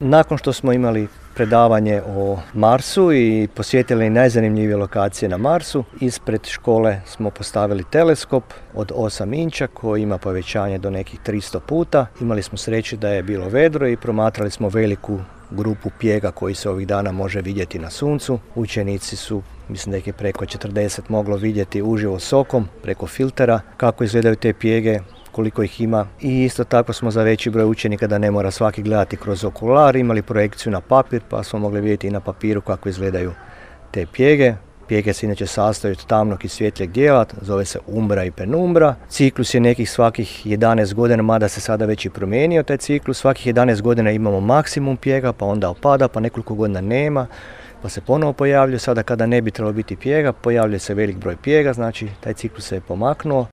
Nakon što smo imali predavanje o Marsu i posjetili najzanimljivije lokacije na Marsu, ispred škole smo postavili teleskop od 8 inča koji ima povećanje do nekih 300 puta. Imali smo sreće da je bilo vedro i promatrali smo veliku grupu pjega koji se ovih dana može vidjeti na suncu. Učenici su, mislim da ih je preko 40 moglo vidjeti uživo s okom, preko filtera, kako izgledaju te pjege, koliko ih ima. I isto tako smo za veći broj učenika, da ne mora svaki gledati kroz okular, imali projekciju na papir pa smo mogli vidjeti i na papiru kako izgledaju te pjege. Pjege se inače sastoji od tamnog i svjetlijeg dijela, zove se umbra i penumbra. Ciklus je nekih svakih 11 godina, mada se sada već i promijenio taj ciklus. Svakih 11 godina imamo maksimum pjega, pa onda opada, pa nekoliko godina nema, pa se ponovo pojavljuje. Sada kada ne bi trebalo biti pjega, pojavljuje se velik broj pjega, znači taj ciklus se je pomaknuo.